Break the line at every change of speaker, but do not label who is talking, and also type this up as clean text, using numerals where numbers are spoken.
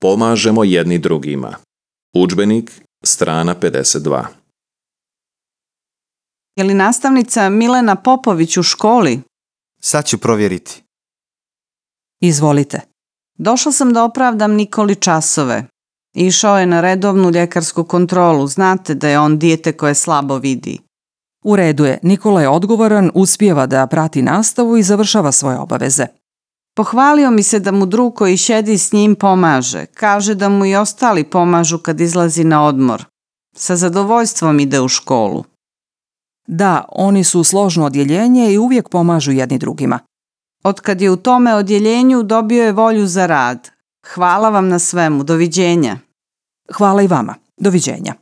Pomažemo jedni drugima. Udžbenik, strana 52.
Je li nastavnica Milena Popović u školi?
Sad ću provjeriti.
Izvolite.
Došla sam da opravdam Nikoli časove. Išao je na redovnu ljekarsku kontrolu. Znate da je on dijete koje slabo vidi.
U redu je, Nikola je odgovoran, uspijeva da prati nastavu i završava svoje obaveze.
Pohvalio mi se da mu drug koji sjedi s njim pomaže. Kaže da mu i ostali pomažu kad izlazi na odmor. Sa zadovoljstvom ide u školu.
Da, oni su složno odjeljenje i uvijek pomažu jedni drugima.
Otkad je u tome odjeljenju dobio je volju za rad. Hvala vam na svemu. Doviđenja.
Hvala i vama. Doviđenja.